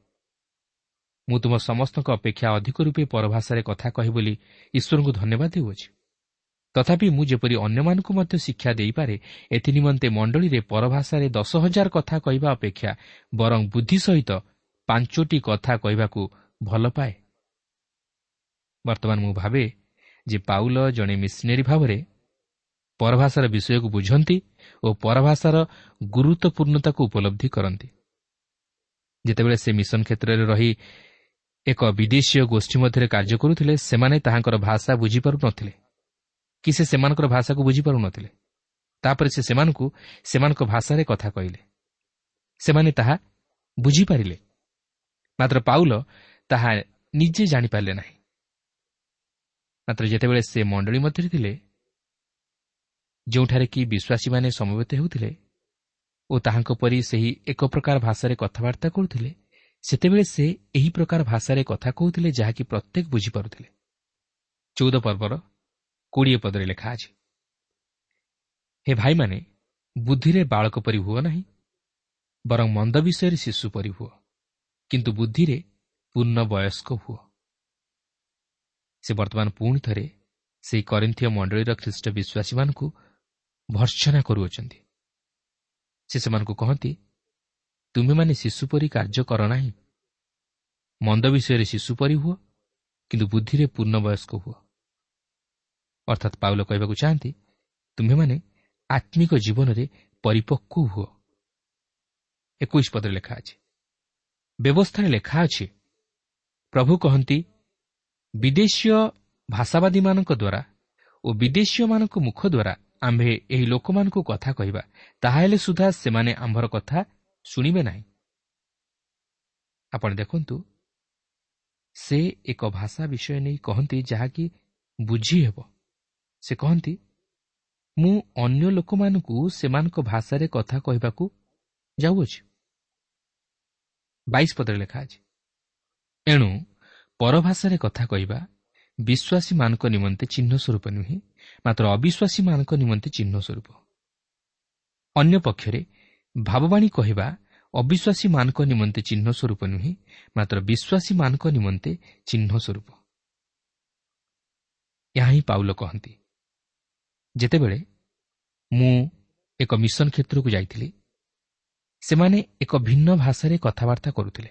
ମୁଁ ତୁମ ସମସ୍ତଙ୍କ ଅପେକ୍ଷା ଅଧିକ ରୂପେ ପରଭାଷାରେ କଥା କହେ ବୋଲି ଈଶ୍ୱରଙ୍କୁ ଧନ୍ୟବାଦ ଦେଉଅଛି। ତଥାପି ମୁଁ ଯେପରି ଅନ୍ୟମାନଙ୍କୁ ମଧ୍ୟ ଶିକ୍ଷା ଦେଇପାରେ, ଏଥିନିମନ୍ତେ ମଣ୍ଡଳୀରେ ପରଭାଷାରେ ଦଶ ହଜାର କଥା କହିବା ଅପେକ୍ଷା ବରଂ ବୁଦ୍ଧି ସହିତ ପାଞ୍ଚୋଟି କଥା କହିବାକୁ ଭଲ ପାଏ। ବର୍ତ୍ତମାନ ମୁଁ ଭାବେ ଯେ ପାଉଲ ଜଣେ ମିଶନେରୀ ଭାବରେ ପରଭାଷାର ବିଷୟକୁ ବୁଝନ୍ତି ଓ ପରଭାଷାର ଗୁରୁତ୍ୱପୂର୍ଣ୍ଣତାକୁ ଉପଲବ୍ଧି କରନ୍ତି। ଯେତେବେଳେ ସେ ମିଶନ କ୍ଷେତ୍ରରେ ରହି ଏକ ବିଦେଶୀୟ ଗୋଷ୍ଠୀ ମଧ୍ୟରେ କାର୍ଯ୍ୟ କରୁଥିଲେ, ସେମାନେ ତାହାଙ୍କର ଭାଷା ବୁଝିପାରୁନଥିଲେ କି ସେ ସେମାନଙ୍କର ଭାଷାକୁ ବୁଝିପାରୁନଥିଲେ। ତାପରେ ସେ ସେମାନଙ୍କୁ ସେମାନଙ୍କ ଭାଷାରେ କଥା କହିଲେ, ସେମାନେ ତାହା ବୁଝିପାରିଲେ, ମାତ୍ର ପାଉଲ ତାହା ନିଜେ ଜାଣିପାରିଲେ ନାହିଁ। ମାତ୍ର ଯେତେବେଳେ ସେ ମଣ୍ଡଳୀ ମଧ୍ୟରେ ଥିଲେ, ଯେଉଁଠାରେ କି ବିଶ୍ୱାସୀମାନେ ସମବେତ ହେଉଥିଲେ ଓ ତାହାଙ୍କ ପରି ସେହି ଏକ ପ୍ରକାର ଭାଷାରେ କଥାବାର୍ତ୍ତା କରୁଥିଲେ, ସେତେବେଳେ ସେ ଏହି ପ୍ରକାର ଭାଷାରେ କଥା କହୁଥିଲେ ଯାହାକି ପ୍ରତ୍ୟେକ ବୁଝିପାରୁଥିଲେ। ଚଉଦ ପର୍ବର କୋଡ଼ିଏ ପଦରେ ଲେଖା ଅଛି, ହେ ଭାଇମାନେ, ବୁଦ୍ଧିରେ ବାଳକ ପରି ହୁଅ ନାହିଁ, ବରଂ ମନ୍ଦ ବିଷୟରେ ଶିଶୁ ପରି ହୁଅ, କିନ୍ତୁ ବୁଦ୍ଧିରେ ପୂର୍ଣ୍ଣ ବୟସ୍କ ହୁଅ। ସେ ବର୍ତ୍ତମାନ ପୁଣି ଥରେ ସେହି କରିନ୍ଥୀୟ ମଣ୍ଡଳୀର ଖ୍ରୀଷ୍ଟ ବିଶ୍ୱାସୀମାନଙ୍କୁ ଭର୍ତ୍ସନା କରୁଅଛନ୍ତି। ସେ ସେମାନଙ୍କୁ କହନ୍ତି, ତୁମେମାନେ ଶିଶୁ ପରି କାର୍ଯ୍ୟ କର ନାହିଁ, ମନ୍ଦ ବିଷୟରେ ଶିଶୁ ପରି ହୁଅ, କିନ୍ତୁ ବୁଦ୍ଧିରେ ପୂର୍ଣ୍ଣ ବୟସ୍କ ହୁଅ। ଅର୍ଥାତ୍ ପାଉଲ କହିବାକୁ ଚାହାନ୍ତି, ତୁମ୍ଭେମାନେ ଆତ୍ମିକ ଜୀବନରେ ପରିପକ୍ୱ ହୁଅ। ଏକୋଇଶ ପଦରେ ଲେଖା ଅଛି, ବ୍ୟବସ୍ଥାରେ ଲେଖା ଅଛି, ପ୍ରଭୁ କହନ୍ତି, ବିଦେଶୀୟ ଭାଷାବାଦୀମାନଙ୍କ ଦ୍ୱାରା ଓ ବିଦେଶୀୟମାନଙ୍କ ମୁଖ ଦ୍ୱାରା ଆମ୍ଭେ ଏହି ଲୋକମାନଙ୍କୁ କଥା କହିବା, ତାହାହେଲେ ସୁଦ୍ଧା ସେମାନେ ଆମ୍ଭର କଥା ଶୁଣିବେ ନାହିଁ। ଆପଣ ଦେଖନ୍ତୁ, ସେ ଏକ ଭାଷା ବିଷୟ ନେଇ କହନ୍ତି ଯାହାକି ବୁଝି ହେବ। ସେ କହନ୍ତି, ମୁଁ ଅନ୍ୟ ଲୋକମାନଙ୍କୁ ସେମାନଙ୍କ ଭାଷାରେ କଥା କହିବାକୁ ଯାଉଅଛି। ବାଇଶ ପଦରେ ଲେଖା ଅଛି, ଏଣୁ ପରଭାଷାରେ କଥା କହିବା ବିଶ୍ୱାସୀମାନଙ୍କ ନିମନ୍ତେ ଚିହ୍ନ ସ୍ୱରୂପ ନୁହେଁ, ମାତ୍ର ଅବିଶ୍ୱାସୀମାନଙ୍କ ନିମନ୍ତେ ଚିହ୍ନ ସ୍ୱରୂପ। ଅନ୍ୟ ପକ୍ଷରେ ଭାବବାଣୀ କହିବା ଅବିଶ୍ୱାସୀମାନଙ୍କ ନିମନ୍ତେ ଚିହ୍ନ ସ୍ୱରୂପ ନୁହେଁ, ମାତ୍ର ବିଶ୍ୱାସୀମାନଙ୍କ ନିମନ୍ତେ ଚିହ୍ନ ସ୍ୱରୂପ। ଏହା ହିଁ ପାଉଲ କହନ୍ତି। ଯେତେବେଳେ ମୁଁ ଏକ ମିଶନ କ୍ଷେତ୍ରକୁ ଯାଇଥିଲି, ସେମାନେ ଏକ ଭିନ୍ନ ଭାଷାରେ କଥାବାର୍ତ୍ତା କରୁଥିଲେ।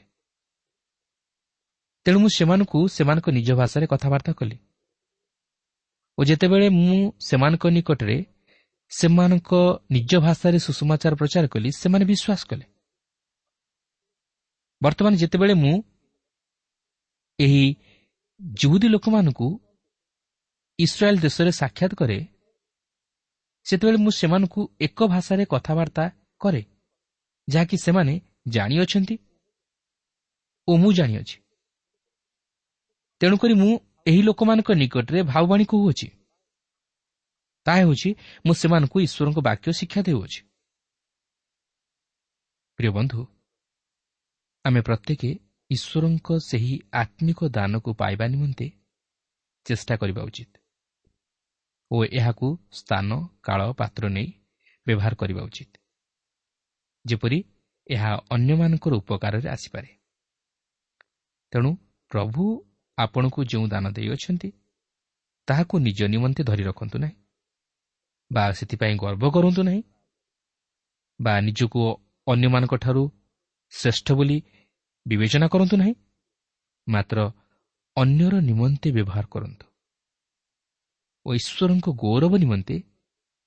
ତେଣୁ ମୁଁ ସେମାନଙ୍କୁ ସେମାନଙ୍କ ନିଜ ଭାଷାରେ କଥାବାର୍ତ୍ତା କଲି ଓ ଯେତେବେଳେ ମୁଁ ସେମାନଙ୍କ ନିକଟରେ ସେମାନଙ୍କ ନିଜ ଭାଷାରେ ସୁସମାଚାର ପ୍ରଚାର କଲି, ସେମାନେ ବିଶ୍ୱାସ କଲେ। ବର୍ତ୍ତମାନ ଯେତେବେଳେ ମୁଁ ଏହି ଯିହୁଦୀ ଲୋକମାନଙ୍କୁ ଇସ୍ରାଏଲ ଦେଶରେ ସାକ୍ଷାତ କରେ, ସେତେବେଳେ ମୁଁ ସେମାନଙ୍କୁ ଏକ ଭାଷାରେ କଥାବାର୍ତ୍ତା କରେ, ଯାହାକି ସେମାନେ ଜାଣିଅଛନ୍ତି ଓ ମୁଁ ଜାଣିଅଛି। ତେଣୁକରି ମୁଁ ଏହି ଲୋକମାନଙ୍କ ନିକଟରେ ଭାବବାଣୀ କହୁଅଛି, ତାହା ହେଉଛି ମୁଁ ସେମାନଙ୍କୁ ଈଶ୍ୱରଙ୍କ ବାକ୍ୟ ଶିକ୍ଷା ଦେଉଅଛି। ପ୍ରିୟ ବନ୍ଧୁ, ଆମେ ପ୍ରତ୍ୟେକ ଈଶ୍ୱରଙ୍କ ସେହି ଆତ୍ମିକ ଦାନକୁ ପାଇବା ନିମନ୍ତେ ଚେଷ୍ଟା କରିବା ଉଚିତ ଓ ଏହାକୁ ସ୍ଥାନ, କାଳ, ପାତ୍ର ନେଇ ବ୍ୟବହାର କରିବା ଉଚିତ, ଯେପରି ଏହା ଅନ୍ୟମାନଙ୍କର ଉପକାରରେ ଆସିପାରେ। ତେଣୁ ପ୍ରଭୁ ଆପଣଙ୍କୁ ଯେଉଁ ଦାନ ଦେଇଅଛନ୍ତି ତାହାକୁ ନିଜ ନିମନ୍ତେ ଧରି ରଖନ୍ତୁ ନାହିଁ ବା ସେଥିପାଇଁ ଗର୍ବ କରନ୍ତୁ ନାହିଁ ବା ନିଜକୁ ଅନ୍ୟମାନଙ୍କଠାରୁ ଶ୍ରେଷ୍ଠ ବୋଲି ବିବେଚନା କରନ୍ତୁ ନାହିଁ, ମାତ୍ର ଅନ୍ୟର ନିମନ୍ତେ ବ୍ୟବହାର କରନ୍ତୁ ଓ ଈଶ୍ୱରଙ୍କ ଗୌରବ ନିମନ୍ତେ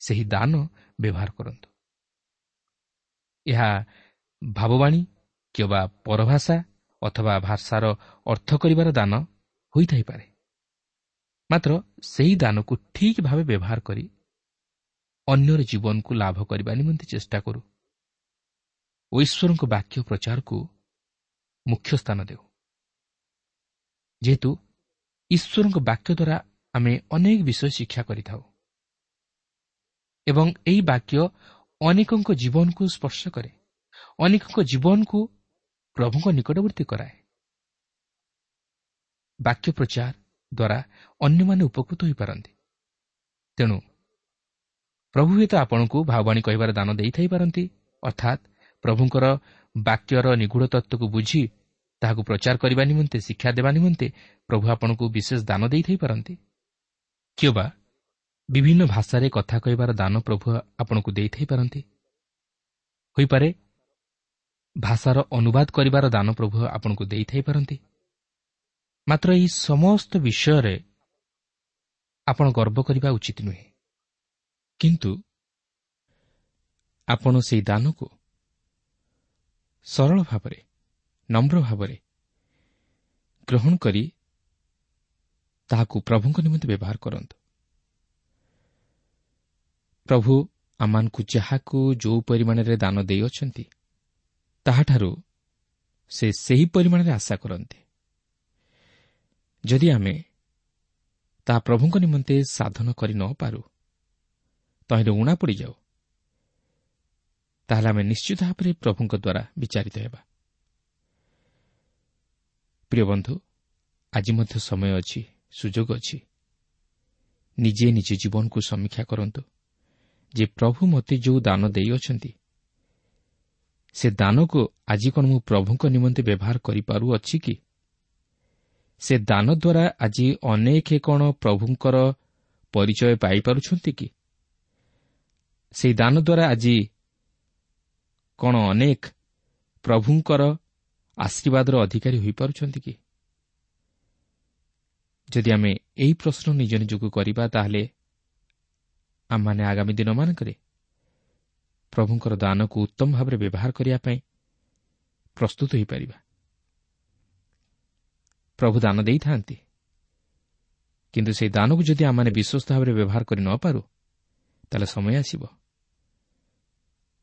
ସେହି ଦାନ ବ୍ୟବହାର କରନ୍ତୁ। ଏହା ଭାବବାଣୀ କିମ୍ବା ପରଭାଷା ଅଥବା ଭାଷାର ଅର୍ଥ କରିବାର ଦାନ ହୋଇଥାଇପାରେ, ମାତ୍ର ସେହି ଦାନକୁ ଠିକ୍ ଭାବେ ବ୍ୟବହାର କରି ଅନ୍ୟର ଜୀବନକୁ ଲାଭ କରିବା ନିମନ୍ତେ ଚେଷ୍ଟା କରୁ ଓ ଈଶ୍ୱରଙ୍କ ବାକ୍ୟ ପ୍ରଚାରକୁ ମୁଖ୍ୟ ସ୍ଥାନ ଦେଉ। ଯେହେତୁ ଈଶ୍ୱରଙ୍କ ବାକ୍ୟ ଦ୍ୱାରା ଆମେ ଅନେକ ବିଷୟ ଶିକ୍ଷା କରିଥାଉ ଏବଂ ଏହି ବାକ୍ୟ ଅନେକଙ୍କ ଜୀବନକୁ ସ୍ପର୍ଶ କରେ, ଅନେକଙ୍କ ଜୀବନକୁ ପ୍ରଭୁଙ୍କ ନିକଟବର୍ତ୍ତୀ କରାଏ। ବାକ୍ୟ ପ୍ରଚାର ଦ୍ୱାରା ଅନ୍ୟମାନେ ଉପକୃତ ହୋଇପାରନ୍ତି। ତେଣୁ ପ୍ରଭୁ ହୁଏତ ଆପଣଙ୍କୁ ଭାବବାଣୀ କହିବାର ଦାନ ଦେଇଥାଇପାରନ୍ତି, ଅର୍ଥାତ୍ ପ୍ରଭୁଙ୍କର ବାକ୍ୟର ନିଗୂଢ଼ ତତ୍ତ୍ୱକୁ ବୁଝି ତାହାକୁ ପ୍ରଚାର କରିବା ନିମନ୍ତେ, ଶିକ୍ଷା ଦେବା ନିମନ୍ତେ ପ୍ରଭୁ ଆପଣଙ୍କୁ ବିଶେଷ ଦାନ ଦେଇଥାଇପାରନ୍ତି, କିମ୍ବା ବିଭିନ୍ନ ଭାଷାରେ କଥା କହିବାର ଦାନ ପ୍ରଭୁ ଆପଣଙ୍କୁ ଦେଇଥାଇପାରନ୍ତି। ହୋଇପାରେ ଭାଷାର ଅନୁବାଦ କରିବାର ଦାନ ପ୍ରଭୁ ଆପଣଙ୍କୁ ଦେଇଥାଇପାରନ୍ତି। ମାତ୍ର ଏହି ସମସ୍ତ ବିଷୟରେ ଆପଣ ଗର୍ବ କରିବା ଉଚିତ ନୁହେଁ, କିନ୍ତୁ ଆପଣ ସେହି ଦାନକୁ ସରଳ ଭାବରେ, ନମ୍ର ଭାବରେ ଗ୍ରହଣ କରି ତାହାକୁ ପ୍ରଭୁଙ୍କ ନିମନ୍ତେ ବ୍ୟବହାର କରନ୍ତୁ। ପ୍ରଭୁ ଆମମାନଙ୍କୁ ଯାହାକୁ ଯେଉଁ ପରିମାଣରେ ଦାନ ଦେଇଅଛନ୍ତି, ତାହାଠାରୁ ସେ ସେହି ପରିମାଣରେ ଆଶା କରନ୍ତି। ଯଦି ଆମେ ତାହା ପ୍ରଭୁଙ୍କ ନିମନ୍ତେ ସାଧନ କରି ନ ପାରୁ, ତହିଁରେ ଊଣା ପଡ଼ିଯାଉ, ତାହେଲେ ଆମେ ନିଶ୍ଚିତ ଭାବରେ ପ୍ରଭୁଙ୍କ ଦ୍ୱାରା ବିଚାରିତ ହେବା। ପ୍ରିୟ ବନ୍ଧୁ, ଆଜି ମଧ୍ୟ ସମୟ ଅଛି, ସୁଯୋଗ ଅଛି। ନିଜେ ନିଜ ଜୀବନକୁ ସମୀକ୍ଷା କରନ୍ତୁ ଯେ ପ୍ରଭୁ ମୋତେ ଯେଉଁ ଦାନ ଦେଇଅଛନ୍ତି, ସେ ଦାନକୁ ଆଜି କ'ଣ ମୁଁ ପ୍ରଭୁଙ୍କ ନିମନ୍ତେ ବ୍ୟବହାର କରିପାରୁଅଛି କି? ସେ ଦାନ ଦ୍ୱାରା ଆଜି ଅନେକ କ'ଣ ପ୍ରଭୁଙ୍କର ପରିଚୟ ପାଇପାରୁଛନ୍ତି କି? ସେହି ଦାନ ଦ୍ୱାରା ଆଜି କ'ଣ ଅନେକ ପ୍ରଭୁଙ୍କର ଆଶୀର୍ବାଦର ଅଧିକାରୀ ହୋଇପାରୁଛନ୍ତି କି? ଯଦି ଆମେ ଏହି ପ୍ରଶ୍ନ ନିଜ ନିଜକୁ କରିବା, ତାହେଲେ ଆମମାନେ ଆଗାମୀ ଦିନମାନଙ୍କରେ ପ୍ରଭୁଙ୍କର ଦାନକୁ ଉତ୍ତମ ଭାବରେ ବ୍ୟବହାର କରିବା ପାଇଁ ପ୍ରସ୍ତୁତ ହୋଇପାରିବା। ପ୍ରଭୁ ଦାନ ଦେଇଥାନ୍ତି, କିନ୍ତୁ ସେହି ଦାନକୁ ଯଦି ଆମମାନେ ବିଶ୍ୱସ୍ତ ଭାବରେ ବ୍ୟବହାର କରି ନ ପାରୁ, ତାହେଲେ ସମୟ ଆସିବ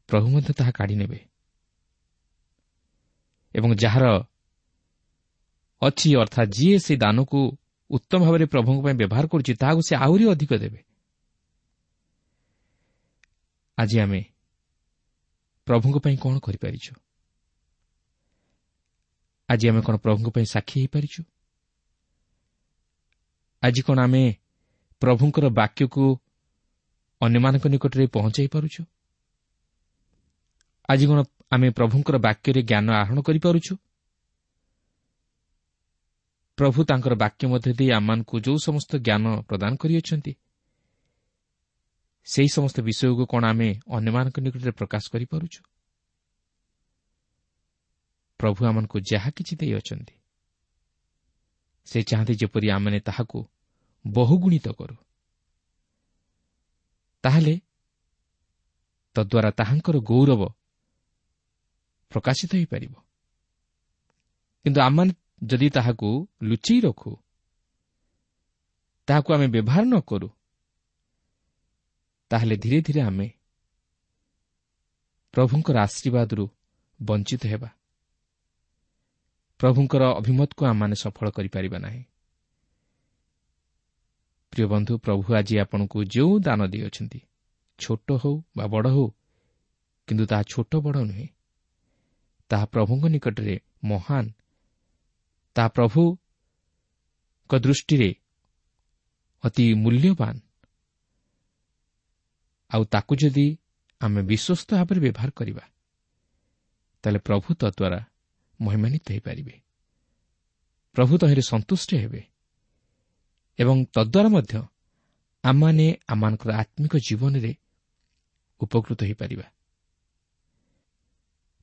ପ୍ରଭୁ ମଧ୍ୟ ତାହା କାଢ଼ି ନେବେ ଏବଂ ଯାହାର ଅଛି, ଅର୍ଥାତ୍ ଯିଏ ସେହି ଦାନକୁ ଉତ୍ତମ ଭାବରେ ପ୍ରଭୁଙ୍କ ପାଇଁ ବ୍ୟବହାର କରୁଛି, ତାହାକୁ ସେ ଆହୁରି ଅଧିକ ଦେବେ। ଆଜି ଆମେ ପ୍ରଭୁଙ୍କ ପାଇଁ କ'ଣ କରିପାରିଛୁ? ଆଜି ଆମେ କ'ଣ ପ୍ରଭୁଙ୍କ ପାଇଁ ସାକ୍ଷୀ ହୋଇପାରିଛୁ? ଆଜି କ'ଣ ଆମେ ପ୍ରଭୁଙ୍କର ବାକ୍ୟକୁ ଅନ୍ୟମାନଙ୍କ ନିକଟରେ ପହଞ୍ଚାଇ ପାରୁଛୁ? ଆଜି କ'ଣ ଆମେ ପ୍ରଭୁଙ୍କର ବାକ୍ୟରେ ଜ୍ଞାନ ଆହରଣ କରିପାରୁଛୁ? ପ୍ରଭୁ ତାଙ୍କର ବାକ୍ୟ ମଧ୍ୟ ଦେଇ ଆମମାନଙ୍କୁ ଯେଉଁ ସମସ୍ତ ଜ୍ଞାନ ପ୍ରଦାନ କରିଅଛନ୍ତି, ସେହି ସମସ୍ତ ବିଷୟକୁ କ'ଣ ଆମେ ଅନ୍ୟମାନଙ୍କ ନିକଟରେ ପ୍ରକାଶ କରିପାରୁଛୁ? ପ୍ରଭୁ ଆମମାନଙ୍କୁ ଯାହା କିଛି ଦେଇଅଛନ୍ତି, ସେ ଚାହାନ୍ତି ଯେପରି ଆମେମାନେ ତାହାକୁ ବହୁଗୁଣିତ କରୁ, ତାହେଲେ ତଦ୍ୱାରା ତାହାଙ୍କର ଗୌରବ ପ୍ରକାଶିତ ହୋଇପାରିବ। କିନ୍ତୁ ଆମମାନେ ଯଦି ତାହାକୁ ଲୁଚେଇ ରଖୁ, ତାହାକୁ ଆମେ ବ୍ୟବହାର ନ କରୁ, ତାହେଲେ ଧୀରେ ଧୀରେ ଆମେ ପ୍ରଭୁଙ୍କର ଆଶୀର୍ବାଦରୁ ବଞ୍ଚିତ ହେବା। ପ୍ରଭୁଙ୍କର ଅଭିମତକୁ ଆମମାନେ ସଫଳ କରିପାରିବା ନାହିଁ। ପ୍ରିୟ ବନ୍ଧୁ, ପ୍ରଭୁ ଆଜି ଆପଣଙ୍କୁ ଯେଉଁ ଦାନ ଦେଇଅଛନ୍ତି, ଛୋଟ ହେଉ ବା ବଡ଼ ହେଉ, କିନ୍ତୁ ତାହା ଛୋଟ ବଡ଼ ନୁହେଁ, ତାହା ପ୍ରଭୁଙ୍କ ନିକଟରେ ମହାନ, ତାହା ପ୍ରଭୁଙ୍କ ଦୃଷ୍ଟିରେ ଅତି ମୂଲ୍ୟବାନ। ଆଉ ତାକୁ ଯଦି ଆମେ ବିଶ୍ୱସ୍ତ ଭାବରେ ବ୍ୟବହାର କରିବା, ତାହେଲେ ପ୍ରଭୁ ତଦ୍ୱାରା ମହିମାନ୍ୱିତ ହୋଇପାରିବେ, ପ୍ରଭୁ ତହିଁରେ ସନ୍ତୁଷ୍ଟ ହେବେ ଏବଂ ତଦ୍ୱାରା ମଧ୍ୟ ଆମମାନେ ଆମମାନଙ୍କର ଆତ୍ମିକ ଜୀବନରେ ଉପକୃତ ହୋଇପାରିବା।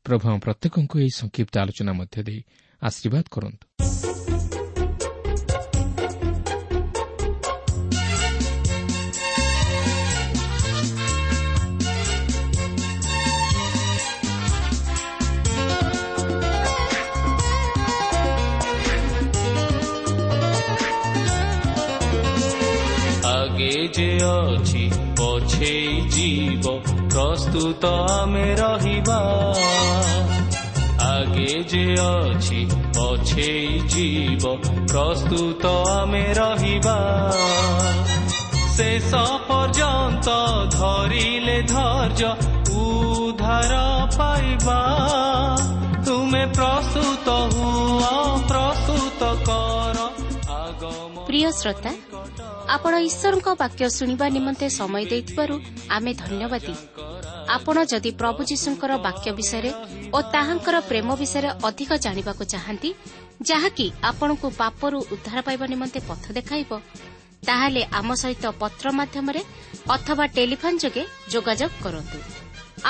ପ୍ରଭୁ ଆମ ପ୍ରତ୍ୟେକଙ୍କୁ ଏହି ସଂକ୍ଷିପ୍ତ ଆଲୋଚନା ମଧ୍ୟ ଦେଇ ଆଶୀର୍ବାଦ କରନ୍ତୁ। ଆଗେ ଯେ ଅଛି ପଛେଇ ଯିବ, ପ୍ରସ୍ତୁତ ଆମେ ରହିବା। ଆଗେ ଯେ ଅଛି ପଛେଇ ଯିବ, ପ୍ରସ୍ତୁତ ଆମେ ରହିବା। ଶେଷ ପର୍ଯ୍ୟନ୍ତ ଧରିଲେ ଧୈର୍ଯ୍ୟ ଉଦ୍ଧାର ପାଇବା। ତୁମେ ପ୍ରସ୍ତୁତ ହୁଅ, ପ୍ରସ୍ତୁତ କର ଆଗମ। ପ୍ରିୟ ଶ୍ରୋତା, ଆପଣ ଈଶ୍ୱରଙ୍କ ବାକ୍ୟ ଶୁଣିବା ନିମନ୍ତେ ସମୟ ଦେଇଥିବାରୁ ଆମେ ଧନ୍ୟବାଦୀ। ଆପଣ ଯଦି ପ୍ରଭୁ ଯୀଶୁଙ୍କର ବାକ୍ୟ ବିଷୟରେ ଓ ତାହାଙ୍କର ପ୍ରେମ ବିଷୟରେ ଅଧିକ ଜାଣିବାକୁ ଚାହାନ୍ତି, ଯାହାକି ଆପଣଙ୍କୁ ପାପରୁ ଉଦ୍ଧାର ପାଇବା ନିମନ୍ତେ ପଥ ଦେଖାଇବ, ତାହେଲେ ଆମ ସହିତ ପତ୍ର ମାଧ୍ୟମରେ ଅଥବା ଟେଲିଫୋନ୍ ଯୋଗେ ଯୋଗାଯୋଗ କରନ୍ତୁ।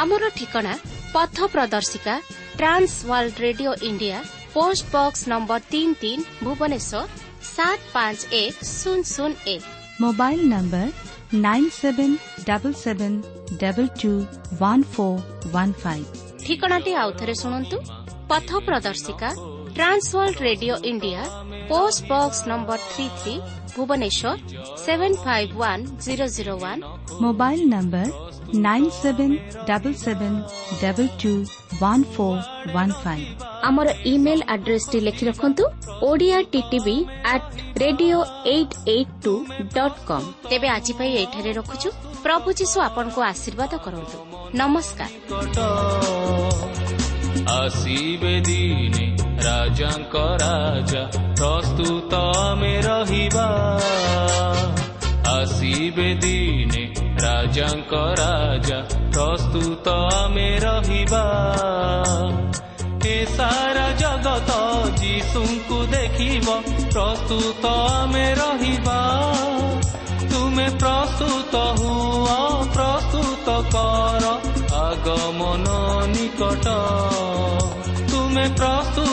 ଆମର ଠିକଣା ପଥ ପ୍ରଦର୍ଶିକା, Trans World Radio India, post box number ତିନି ତିନି, ଭୁବନେଶ୍ୱର ସାତ ପାଞ୍ଚ ଏକ ଶୂନ ଶୂନ ଏକ। Mobile number nine seven double seven double two one four one five. ଠିକଣାଟି ଆଉଥରେ ଶୁଣନ୍ତୁ। ପଥ ପ୍ରଦର୍ଶିକା, Trans World Radio India, post box number three three, Bhubaneswar seven five one zero zero one. Mobile number nine seven double seven double two one four one five. ଆମର ଇମେଲ୍ ଆଡ୍ରେସଟି ଲେଖି ରଖନ୍ତୁ, Odia TTV at radio eight eight two dot com. ତେବେ ଆଜି ପାଇଁ ଏଇଠାରେ ରଖୁଛୁ। ପ୍ରଭୁ ଯୀଶୁ ଆପଣଙ୍କୁ ଆଶୀର୍ବାଦ କରନ୍ତୁ। ନମସ୍କାର। ଆସିବେ ଦିନେ ରାଜାଙ୍କ ରାଜା, ପ୍ରସ୍ତୁତ ଆମେ ରହିବା। ଆସିବେ ଦିନେ ରାଜାଙ୍କ ରାଜା, ପ୍ରସ୍ତୁତ ଆମେ ରହିବା। ଏ ସାରା ଜଗତ ଯୀଶୁଙ୍କୁ ଦେଖିବ, ପ୍ରସ୍ତୁତ ଆମେ ରହିବା। ତୁମେ ପ୍ରସ୍ତୁତ ହୁଅ, ପ୍ରସ୍ତୁତ କର ଆଗମନ ନିକଟ। ତୁମେ ପ୍ରସ୍ତୁତ